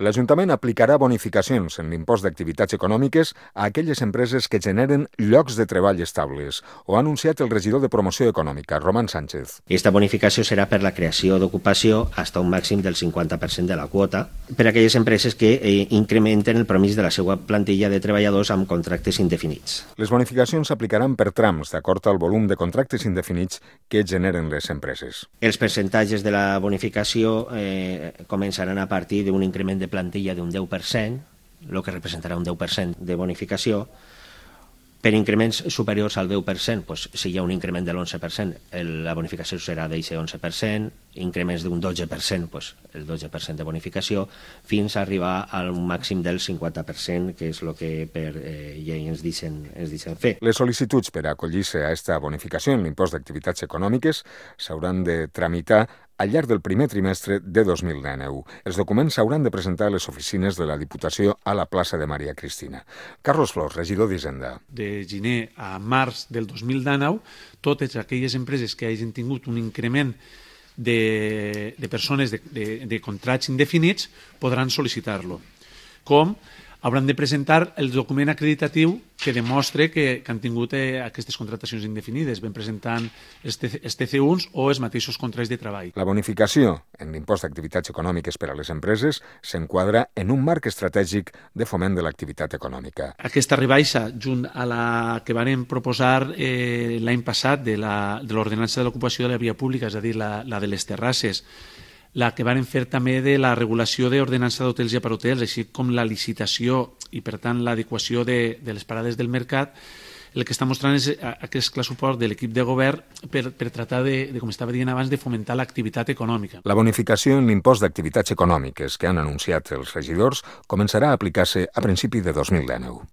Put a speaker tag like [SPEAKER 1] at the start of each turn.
[SPEAKER 1] L'Ajuntament aplicarà bonificacions en l'impost d'activitats econòmiques a aquelles empreses que generen llocs de treball estables. Ho ha anunciat el regidor de Promoció Econòmica, Román Sánchez.
[SPEAKER 2] Aquesta bonificació serà per la creació d'ocupació fins a un màxim del 50% de la quota per a aquelles empreses que incrementen el permís de la seva plantilla de treballadors amb contractes indefinits.
[SPEAKER 1] Les bonificacions s'aplicaran per trams, d'acord al volum de contractes indefinits que generen les empreses.
[SPEAKER 2] Els percentatges de la bonificació començaran a partir d'un increment de plantilla d'un 10%, el que representarà un 10% de bonificació. Per increments superiors al 10%, doncs, si hi ha un increment de l'11%, la bonificació serà d'aquest 11%, increments d'un 12%, doncs, el 12% de bonificació, fins a arribar a un màxim del 50%, que és el que per llei ens deixen fer.
[SPEAKER 1] Les sol·licituds per a acollir-se a aquesta bonificació en l'impost d'activitats econòmiques s'hauran de tramitar al llarg del primer trimestre de 2019. Els documents s'hauran de presentar a les oficines de la Diputació a la plaça de Maria Cristina. Carlos Flors, regidor d'Hisenda.
[SPEAKER 3] De gener a març del 2019, totes aquelles empreses que hagin tingut un increment de persones de contrats indefinits podran sol·licitar-lo. Com hauran de presentar el document acreditatiu que demostre que han tingut aquestes contractacions indefinides, ben presentant els TC1s o els mateixos contractes de treball.
[SPEAKER 1] La bonificació en l'impost d'activitats econòmiques per a les empreses s'enquadra en un marc estratègic de foment de l'activitat econòmica.
[SPEAKER 3] Aquesta rebaixa, junt a la que vàrem proposar l'any passat de l'ordenança de l'ocupació de la via pública, és a dir, la de les terrasses, la que varen fer també de la regulació d'ordenança d'hotels i aparhotels, així com la licitació i, per tant, l'adequació de les parades del mercat, el que està mostrant és aquest clar suport de l'equip de govern per tratar de, com estava dient abans, de fomentar l'activitat econòmica.
[SPEAKER 1] La bonificació en l'impost d'activitats econòmiques que han anunciat els regidors començarà a aplicar-se a principi de 2019.